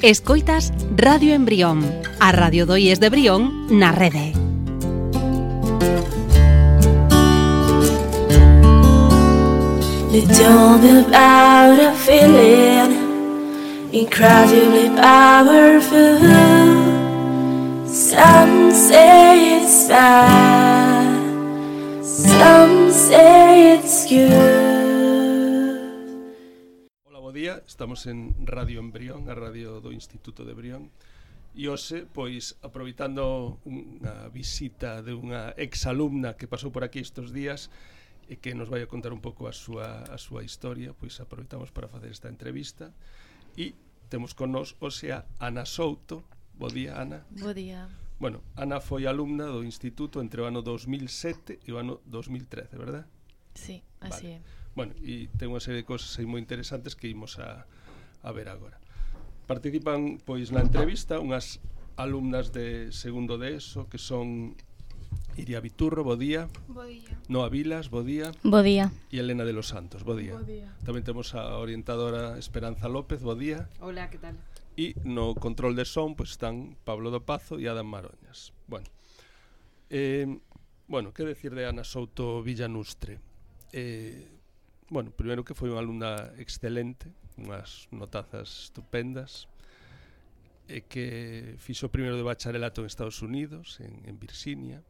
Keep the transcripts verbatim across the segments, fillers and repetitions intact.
Escoitas Radio Embrión, a Radio do I E S de Brión na rede. They told me about a feeling incredibly powerful. Some say it's bad, some say it's good. Hola, bo día, estamos en Radio Embrión, a radio do Instituto de Brión. E hoxe, pois, aproveitando unha visita de unha exalumna que pasou por aquí estes días e que nos vai a contar un pouco a súa, a súa historia, pois aproveitamos para facer esta entrevista. E temos con nos hoxe a Ana Souto. Bo día, Ana. Bo día. Bueno, Ana foi alumna do Instituto entre o ano dos mil sete e o ano dos mil trece, verdad? Sí, así vale. é. Bueno, e ten unha serie de cosas aí moi interesantes que imos a, a ver agora. Participan, pois, na entrevista unhas alumnas de segundo de ESO que son Iria Viturro, bo día. Bo día. Noa Vilas, bo día. Bo día. E Elena de los Santos, bo día. Bo día. Tamén temos a orientadora Esperanza López, bo día. Hola, que tal? E no control de son pois están Pablo do Pazo e Adam Maroñas. Bueno, eh, bueno, que decir de Ana Souto Villanustre? Eh, bueno, primeiro que foi unha alumna excelente, unhas notazas estupendas, e que fixo primeiro de bacharelato en Estados Unidos, en, en Virginia,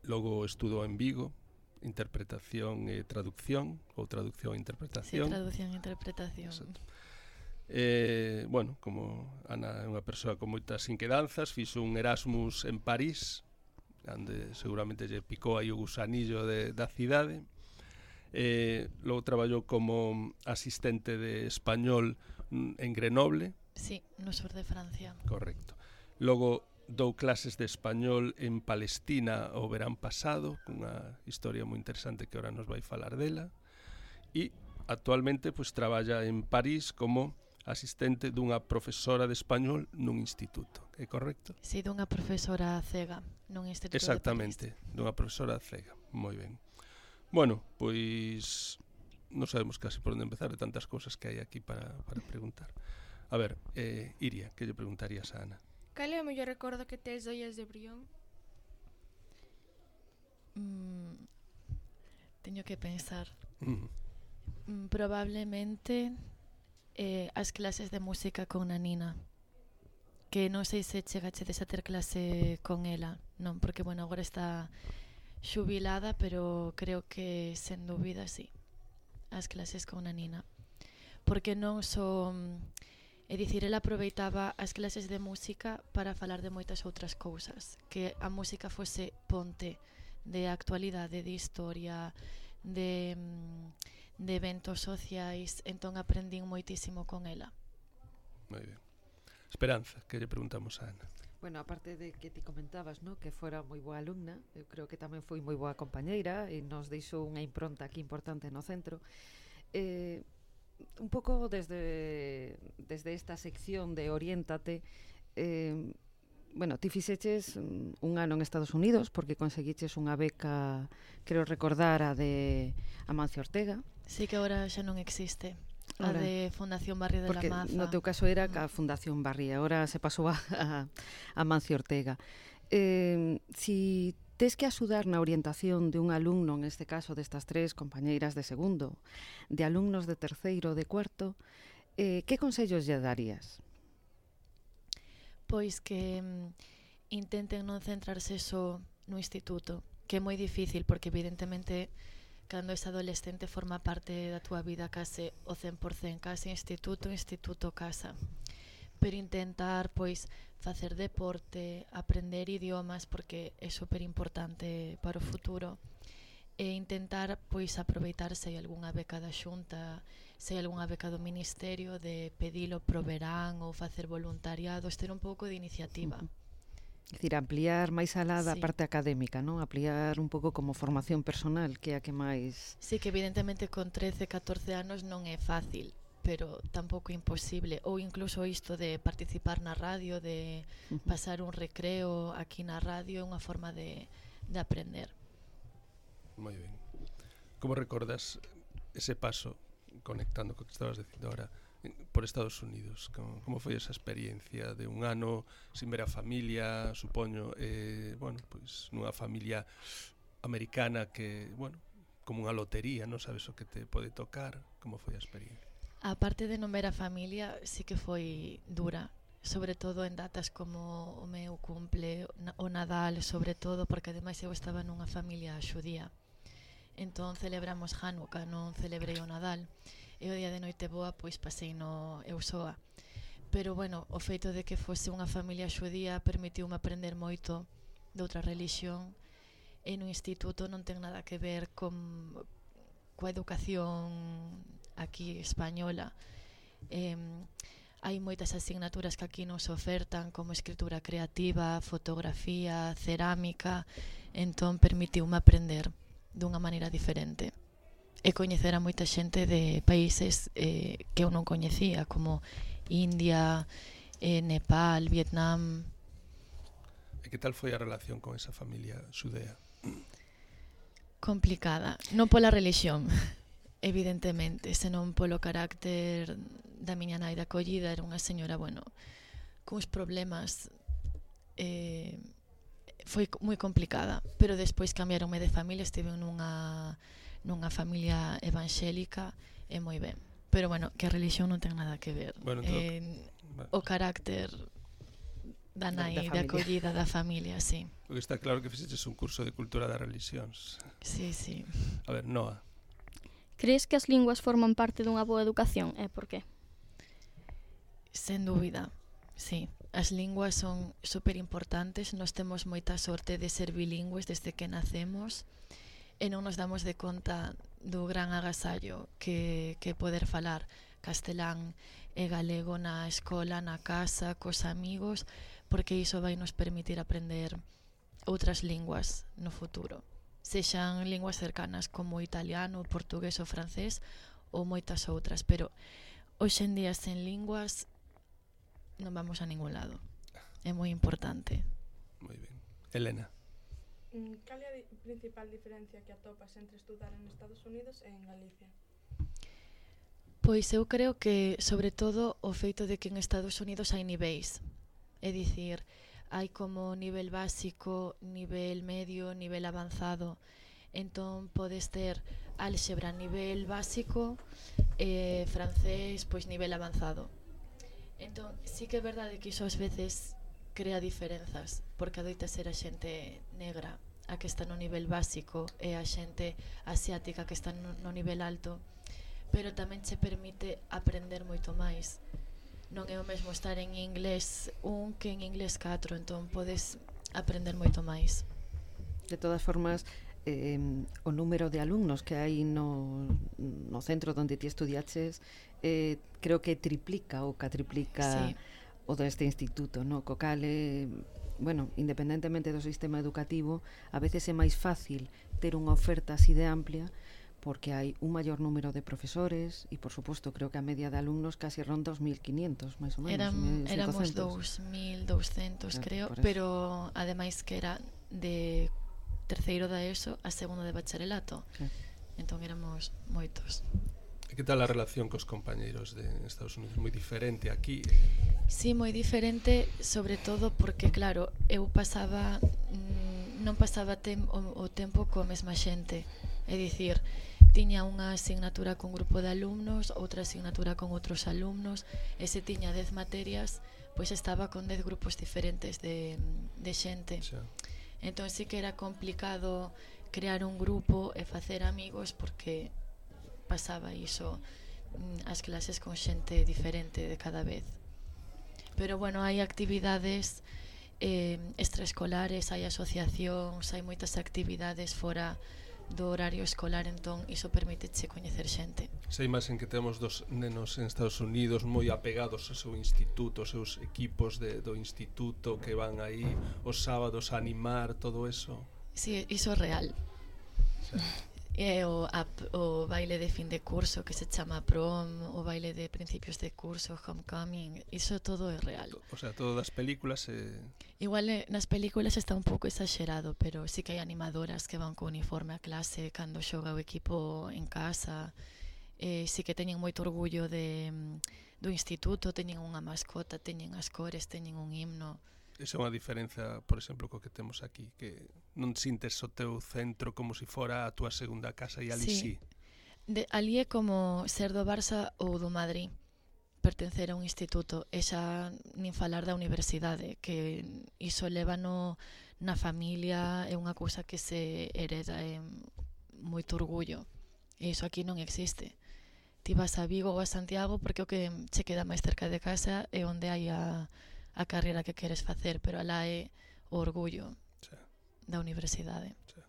logo estudou en Vigo, interpretación e traducción, ou traducción e interpretación. Sí, traducción e interpretación. Exacto. Eh, bueno, como Ana é unha persoa con moitas inquedanzas, fixo un Erasmus en París, onde seguramente lle picou aí o gusanillo de, da cidade. Eh, logo traballou como asistente de español en Grenoble. Sí, no sur de Francia. Correcto. Logo dou clases de español en Palestina o verán pasado, cunha historia moi interesante que ahora nos vai falar dela. E actualmente pois traballa en París como asistente dunha profesora de español nun instituto, é correcto? Sí, dunha profesora cega nun instituto. Exactamente, de dunha profesora cega, moi ben. Bueno, pois non sabemos casi por onde empezar de tantas cousas que hai aquí para, para preguntar. A ver, eh, Iria, que lle preguntarías a Ana? Cal é o mellor recordo que tes do I E S de Brión? Mm, teño que pensar. Mm. Mm, probablemente eh, as clases de música con Nanina, que non sei se chegachedes a ter clase con ela, non, porque, bueno, agora está xubilada, pero creo que, sen dúbida, sí, as clases con Nanina. Porque non son... É dicir, ela aproveitaba as clases de música para falar de moitas outras cousas, que a música fose ponte de actualidade, de historia, de... de eventos sociais, entón aprendín moitísimo con ela. Moi ben. Esperanza, que lle preguntamos a Ana? Bueno, aparte de que ti comentabas, ¿no?, que fora moi boa alumna, eu creo que tamén foi moi boa compañeira e nos deixou unha impronta aquí importante no centro. Eh, un pouco desde desde esta sección de Oriéntate, eh, bueno, ti fixeches un ano en Estados Unidos porque conseguiches unha beca, creo recordar, a de Amancio Ortega. Sí, que agora xa non existe. A Ahora, de Fundación Barrio de porque la Maza. No teu caso era a Fundación Barri, agora se pasou a, a, a Amancio Ortega. Eh, si tes que axudar na orientación de un alumno, en este caso destas tres compañeiras de segundo, de alumnos de terceiro, de cuarto, eh, que consellos lle darías? Pois que mm, intenten non centrarse só no instituto, que é moi difícil porque evidentemente cando és adolescente forma parte da túa vida case o cen por cen, case instituto, instituto, casa. Pero intentar pois facer deporte, aprender idiomas porque é super importante para o futuro e intentar pois aproveitar se hai algunha beca da Xunta, se hai algunha beca do Ministerio, de pedilo pro verán ou facer voluntariados, ter un pouco de iniciativa. Uh-huh. É dicir, ampliar máis alá da Sí. parte académica, non? Ampliar un pouco como formación personal, que é a que máis... Sí, que evidentemente con trece, catorce anos non é fácil, pero tampouco imposible. Ou incluso isto de participar na radio, de Uh-huh. pasar un recreo aquí na radio, é unha forma de, de aprender. Moi ben. Como recordas ese paso, conectando co que estabas dicindo ahora, por Estados Unidos. Como, como foi esa experiencia de un ano sin ver a familia, supoño, eh, bueno, pois nunha familia americana que, bueno, como unha lotería, non sabes o que te pode tocar. Como foi a experiencia? A parte de non ver a familia, sí que foi dura, sobre todo en datas como o meu cumple, o Nadal, sobre todo, porque ademais eu estaba nunha familia xudía. Entón celebramos Hanukkah, non celebrei o Nadal. E o día de noite boa, pois pasei no eu soa. Pero, bueno, o feito de que fose unha familia xudía permitiume aprender moito de outra religión. E no instituto non ten nada que ver con coa educación aquí española. Eh, hai moitas asignaturas que aquí nos ofertan, como escritura creativa, fotografía, cerámica. Entón permitiume aprender dunha maneira diferente e coñecer a moita xente de países eh, que eu non coñecía, como India, eh, Nepal, Vietnam. E que tal foi a relación con esa familia xudea? Complicada, non pola religión, evidentemente, senón polo carácter da miña nai de acollida. Era unha señora, bueno, cuns problemas, eh, foi moi complicada, pero despois cambiaronme de familia, estive nunha nunha familia evangélica e moi ben. Pero, bueno, que a religión non ten nada que ver. Bueno, eh, o carácter da nai, da, da de acollida da familia, sí. Porque está claro que fixeches un curso de cultura das religións. Sí, sí. A ver, Noa. Crees que as linguas forman parte dunha boa educación? E por qué? Sen dúbida, sí. As linguas son super importantes. Nos temos moita sorte de ser bilingües desde que nacemos e non nos damos de conta do gran agasallo que, que poder falar castelán e galego na escola, na casa, cos amigos, porque iso vai nos permitir aprender outras linguas no futuro, sexan linguas cercanas como o italiano, o portugués ou francés ou moitas outras, pero hoxe en día sen linguas non vamos a ningún lado. É moi importante. Moi ben. Elena. Cal é a di- principal diferencia que atopas entre estudar en Estados Unidos e en Galicia? Pois eu creo que, sobre todo, o feito de que en Estados Unidos hai niveis. É dicir, hai como nivel básico, nivel medio, nivel avanzado. Entón, podes ter álxebra nivel básico e francés, pois nivel avanzado. Entón, sí que é verdade que iso ás veces crea diferenzas, porque adoita ser a xente negra a que está no nivel básico e a xente asiática que está no, no nivel alto, pero tamén che permite aprender moito máis. Non é o mesmo estar en inglés un que en inglés catro, entón podes aprender moito máis. De todas formas, eh, o número de alumnos que hai no, no centro onde ti estudiaches eh, creo que triplica ou catriplica Sí. o deste instituto, no? Co cal, eh, bueno, independentemente do sistema educativo, a veces é máis fácil ter unha oferta así de amplia porque hai un maior número de profesores e, por suposto, creo que a media de alumnos casi ronda os mil quinientos, máis ou menos. Eram, mil éramos cincocentos. dous mil douscentos, Claro, creo, por eso. pero ademais que era de terceiro da ESO a segundo de bacharelato. Sí. Entón éramos moitos. E que tal a relación cos compañeiros de Estados Unidos? Moi diferente aquí. Sí, moi diferente, sobre todo porque, claro, eu pasaba mm, non pasaba tem, o, o tempo coa mesma xente. É dicir, tiña unha asignatura con grupo de alumnos, outra asignatura con outros alumnos, e se tiña dez materias, pois estaba con dez grupos diferentes de, de xente. Xa. Entón sí que era complicado crear un grupo e facer amigos porque pasaba iso, mm, as clases con xente diferente de cada vez. Pero bueno, hai actividades eh, extraescolares, hai asociacións, hai moitas actividades fora do horario escolar, entón iso permíteche coñecer xente. Sei máis en que temos dos nenos en Estados Unidos moi apegados ao seu instituto, aos seus equipos de, do instituto que van aí os sábados a animar, todo eso. Sí, iso é real. Xa. É o, a, o baile de fin de curso que se chama prom, o baile de principios de curso, homecoming, iso todo é real. O sea, todo das películas eh... Igual eh, nas películas está un pouco exagerado, pero sí que hai animadoras que van co uniforme a clase cando xoga o equipo en casa. eh, sí que teñen moito orgullo de, do instituto, teñen unha mascota, teñen as cores, teñen un himno. Esa é unha diferenza, por exemplo, co que temos aquí, que non sintes o teu centro como se si fora a túa segunda casa e ali sí. sí. De, ali é como ser do Barça ou do Madrid, pertencer a un instituto, e xa nin falar da universidade, que iso leva no, na familia, é unha cousa que se hereda, é moito orgullo, e iso aquí non existe. Ti vas a Vigo ou a Santiago porque o que che queda máis cerca de casa é onde hai a, a carreira que queres facer, pero alá é o orgullo sí. da universidade. Sí.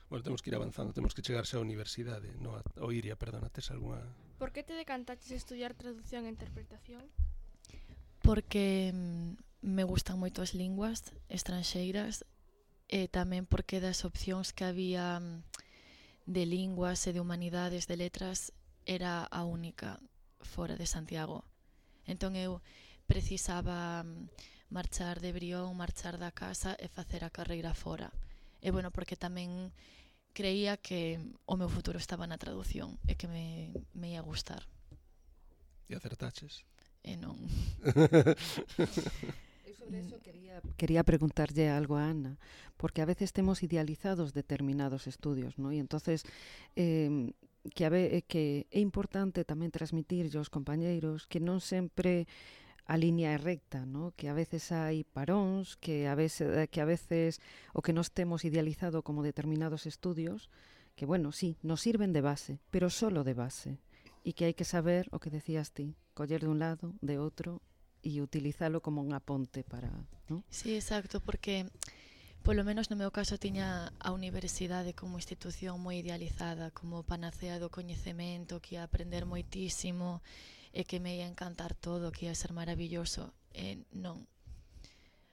Bueno, temos que ir avanzando, temos que chegarse á universidade, no, ou Iria, perdona, tes algunha... Por que te decantaches a estudiar traducción e interpretación? Porque mm, me gustan moito as linguas estranxeiras e tamén porque das opcións que había de linguas e de humanidades, de letras, era a única fora de Santiago. Entón eu precisaba marchar de Brión, marchar da casa e facer a carreira fora. E bueno, porque tamén creía que o meu futuro estaba na traducción e que me, me ia gustar. E acertaches? E non. Eu sobre eso quería, quería preguntarlle algo a Ana, porque a veces temos idealizados determinados estudios, ¿no? E entonces eh, que, a ve, que é importante tamén transmitir aos compañeiros que non sempre a liña é recta, ¿no? Que a veces hai paróns, que a veces, que a veces o que nos temos idealizado como determinados estudios, que bueno, sí, nos sirven de base, pero solo de base, e que hai que saber o que decías ti, coller de un lado, de outro, e utilizalo como unha ponte para, ¿no? Sí, exacto, porque polo menos no meu caso tiña a universidade como institución moi idealizada, como panacea do coñecemento, que ia aprender moitísimo e que me ia encantar todo, que ia ser maravilloso. E non.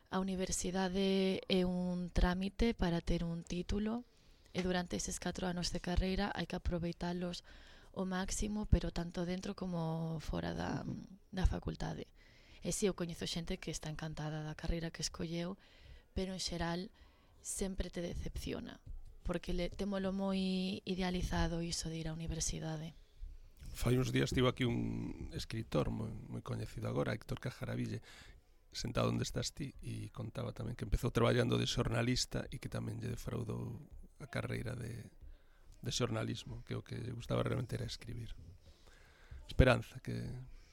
A universidade é un trámite para ter un título e durante eses catro anos de carreira hai que aproveitalos o máximo, pero tanto dentro como fora da, da facultade. E si, eu coñezo xente que está encantada da carreira que escolleu, pero en xeral sempre te decepciona, porque le, témolo moi idealizado iso de ir á universidade. Fai uns días estivo aquí un escritor moi, moi coñecido agora, Héctor Cajaraville, sentado onde estás ti, e contaba tamén que empezou traballando de xornalista e que tamén lle defraudou a carreira de, de xornalismo, que o que lle gustaba realmente era escribir. Esperanza, que,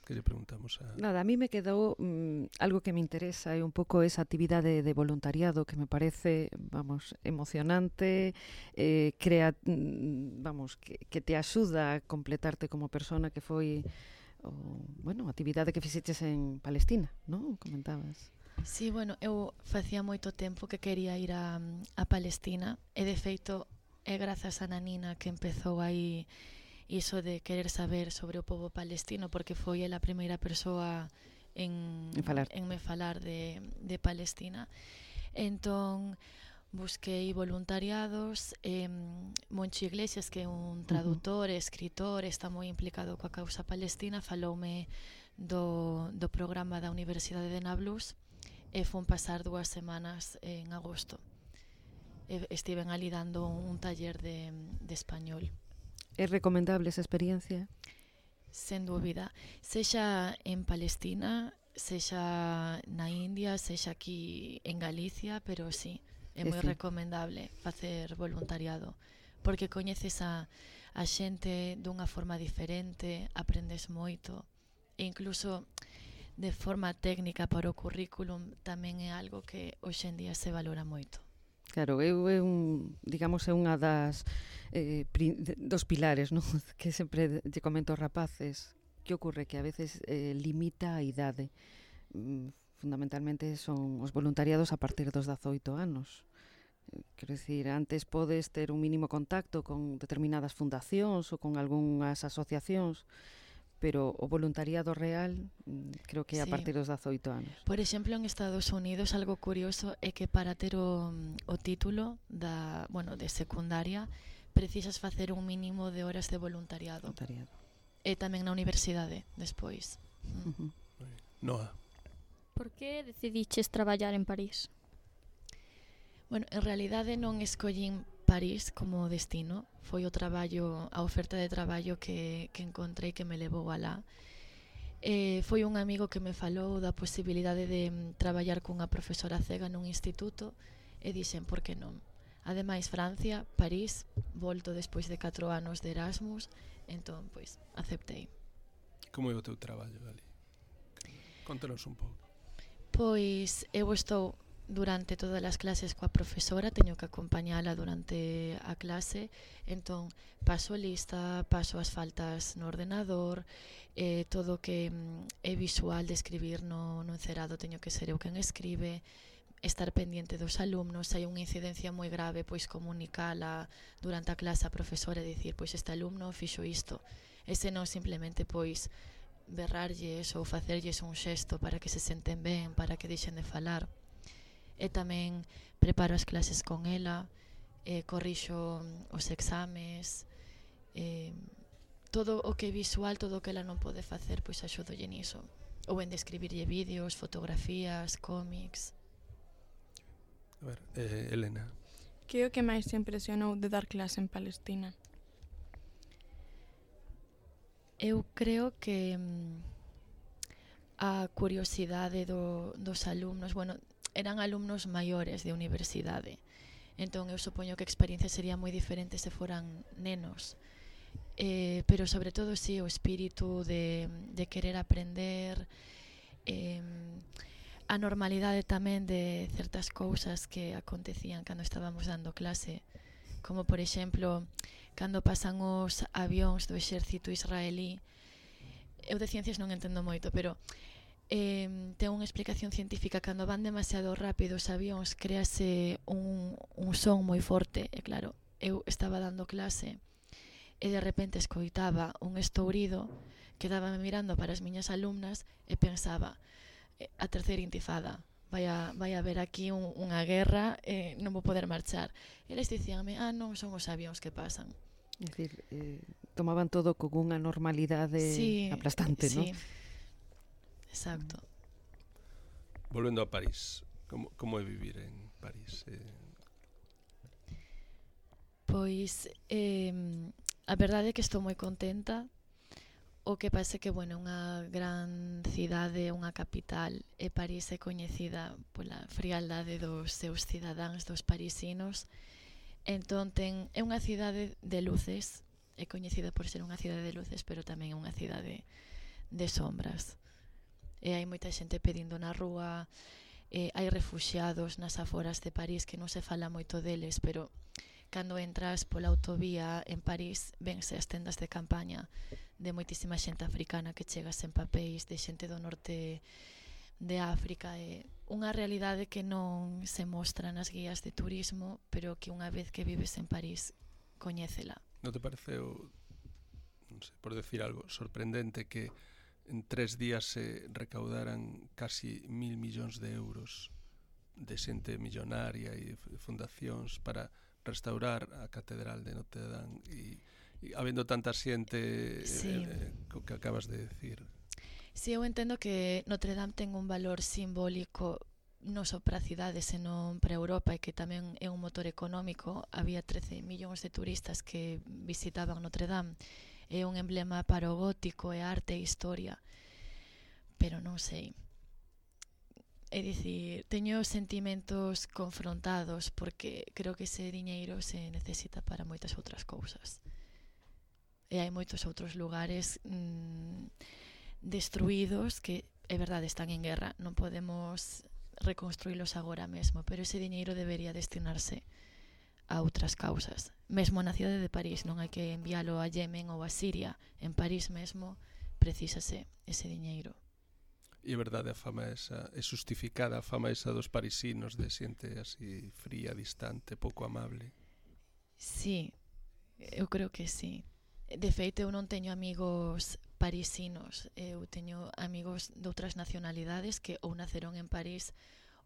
que lle preguntamos a... Nada, a mí me quedou mmm, algo que me interesa é un pouco esa actividade de voluntariado que me parece, vamos, emocionante, eh, crea, vamos, que, que te axuda a completarte como persona, que foi o, bueno, a actividade que fixeches en Palestina, non? Comentabas. Sí, bueno, eu facía moito tempo que quería ir a, a Palestina e de feito é grazas a Nanina que empezou aí iso de querer saber sobre o povo palestino, porque foi ela a primeira persoa en, en, falar. en me falar de, de Palestina. Entón busquei voluntariados, eh, Moncho Iglesias, que é un traductor, uh-huh. escritor, está moi implicado coa causa palestina, faloume do, do programa da Universidade de Nablus e fun pasar dúas semanas en agosto. E estiven ali dando un taller de, de español. É recomendable esa experiencia? Sen dúbida. Sexa en Palestina, sexa na India, sexa aquí en Galicia, pero sí, é moi recomendable facer voluntariado, porque coñeces a, a xente dunha forma diferente, aprendes moito, e incluso de forma técnica para o currículum tamén é algo que hoxe en día se valora moito. Claro, eu é un, digamos, é unha das eh, pri, dos pilares, non? Que sempre lle comento aos rapaces. Que ocorre? Que a veces eh, limita a idade. Mm, fundamentalmente son os voluntariados a partir dos dezaoito anos. Quero dicir, antes podes ter un mínimo contacto con determinadas fundacións ou con algunhas asociacións, pero o voluntariado real creo que é a sí. partir dos dezaoito anos. Por exemplo, en Estados Unidos algo curioso é que para ter o, o título da, bueno, de secundaria precisas facer un mínimo de horas de voluntariado. Voluntariado. E tamén na universidade despois. Uh-huh. Noa. Por que decidiches traballar en París? Bueno, en realidade non escollín París como destino. Foi o traballo, a oferta de traballo que, que encontrei que me levou alá. Eh, foi un amigo que me falou da posibilidade de mm, traballar cunha profesora cega nun instituto e dixen, por que non? Ademais, Francia, París, volto despois de catro anos de Erasmus, entón, pois, aceptei. Como é o teu traballo ali? Contanos un pouco. Pois, eu estou durante todas as clases coa profesora, teño que acompañala durante a clase, entón paso lista, paso as faltas no ordenador, eh, todo que mm, é visual de escribir no, no encerado teño que ser eu quen escribe, estar pendiente dos alumnos, hai unha incidencia moi grave, pois comunicala durante a clase a profesora e dicir, pois este alumno fixo isto, e se non simplemente pois berrarlles ou facerlles un xesto para que se senten ben, para que deixen de falar. E tamén preparo as clases con ela, eh, corrixo os exames, eh, todo o que é visual, todo o que ela non pode facer, pois axudolle niso. Ou en describirlle vídeos, fotografías, cómics. A ver, eh, Elena. Que é o que máis te impresionou de dar clase en Palestina? Eu creo que mm, a curiosidade do, dos alumnos, bueno, eran alumnos maiores de universidade, entón eu supoño que a experiencia sería moi diferente se foran nenos, eh, pero sobre todo sí, o espírito de, de querer aprender, eh, a normalidade tamén de certas cousas que acontecían cando estábamos dando clase, como por exemplo cando pasan os avións do exército israelí. Eu de ciencias non entendo moito, pero eh, ten unha explicación científica. Cando van demasiado rápido os avións, créase un, un son moi forte. E claro, eu estaba dando clase e de repente escoitaba un estourido, quedábame mirando para as miñas alumnas e pensaba, eh, a terceira intifada, vai a, vai a haber aquí un, unha guerra, eh, non vou poder marchar. Eles dicíanme, ah, non, son os avións que pasan. É dicir, eh, tomaban todo con unha normalidade sí, aplastante, sí. non? Exacto. Volvendo a París, como, como é vivir en París? Eh... Pois, eh, a verdade é que estou moi contenta. O que pasa é que, bueno, unha gran cidade, unha capital, e París é coñecida pola frialdade dos seus cidadáns, dos parisinos. Entón, ten, é unha cidade de luces, é coñecida por ser unha cidade de luces, pero tamén é unha cidade de sombras. E hai moita xente pedindo na rúa, eh, hai refuxiados nas aforas de París que non se fala moito deles, pero cando entras pola autovía en París, vense as tendas de campaña de moitísima xente africana que chega sen papéis, de xente do norte de África. É unha realidade que non se mostra nas guías de turismo, pero que unha vez que vives en París, coñécela. Non te pareceu, non sei, por decir algo, sorprendente que en tres días se recaudaran casi mil millóns de euros de xente millonaria e fundacións para restaurar a Catedral de Notre Dame e, e habendo tanta xente, sí, eh, co que acabas de decir? Si, sí, eu entendo que Notre Dame ten un valor simbólico non só para a cidade, senón para Europa, e que tamén é un motor económico. Había trece millóns de turistas que visitaban Notre Dame. É un emblema para o gótico, e arte e historia. Pero non sei. É dicir, teño sentimentos confrontados porque creo que ese diñeiro se necesita para moitas outras cousas. E hai moitos outros lugares mmm, destruídos que, é verdade, están en guerra. Non podemos reconstruílos agora mesmo, pero ese diñeiro debería destinarse a outras causas. Mesmo na cidade de París, non hai que enviálo a Yemen ou a Siria. En París mesmo precisase ese diñeiro. E é verdade a fama esa, é justificada a fama esa dos parisinos de xente así fría, distante, pouco amable? Sí, eu creo que sí. De feito, eu non teño amigos parisinos, eu teño amigos de outras nacionalidades que ou naceron en París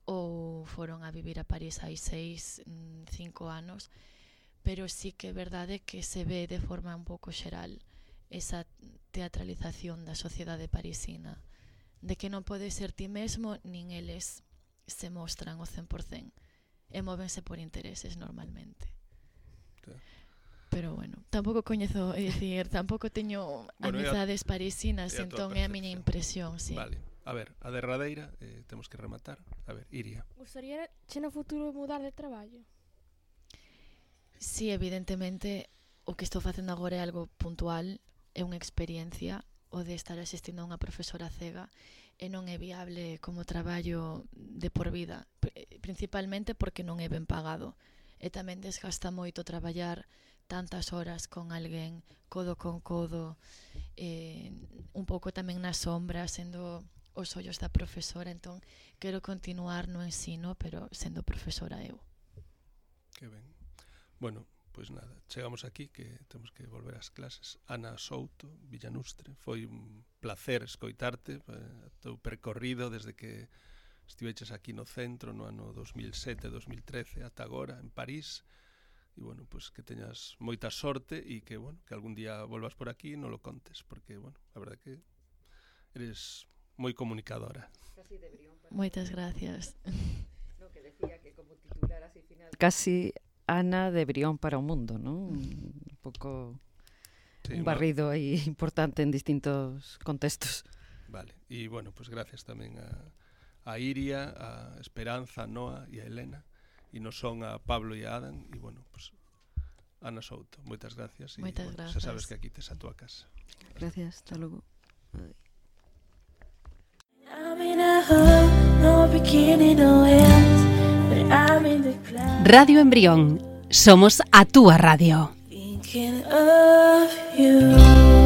ou foron a vivir a París hai seis, cinco anos, pero sí que é verdade que se ve de forma un pouco xeral esa teatralización da sociedade parisina, de que non podes ser ti mesmo, nin eles se mostran o cen por cen, e móvense por intereses normalmente. Pero bueno, tampouco coñezo, é dicir, tampouco teño Bueno, amizades parisinas, é a túa entón é a miña percepción. impresión, sí. Vale, a ver, a derradeira, eh, temos que rematar. A ver, Iria. Gustaría che no futuro mudar de traballo? Sí, evidentemente, o que estou facendo agora é algo puntual, é unha experiencia, o de estar asistindo a unha profesora cega, e non é viable como traballo de por vida, principalmente porque non é ben pagado. E tamén desgasta moito traballar tantas horas con alguén, codo con codo, eh, un pouco tamén na sombra, sendo os ollos da profesora, entón quero continuar no ensino, pero sendo profesora eu. Que ben. Bueno, pois nada, chegamos aquí, que temos que volver ás clases. Ana Souto, Villanustre, foi un placer escoitarte, eh, teu percorrido desde que estiveches aquí no centro no ano dos mil sete, dos mil trece ata agora en París. E bueno, pois que teñas moita sorte e que, bueno, que algún día volvas por aquí e non lo contes, porque, bueno, a verdade que eres moi comunicadora. Moitas gracias. No, que decía que como titular así final casi Ana de Brión para o mundo, non? Un pouco sí, un barrido aí importante en distintos contextos. Vale, e bueno, pois gracias tamén a, a Iria, a Esperanza, a Noa e a Elena. E non son a Pablo e a Adam. E, bueno, pues, Ana Souto, moitas gracias. Moitas bueno, gracias. Xa sabes que aquí tes a túa casa. Gracias, hasta logo. I'm in a hole, no beginning, no end, but I'm in the clouds. Radio Embrión. Somos a túa radio. Thinking of you.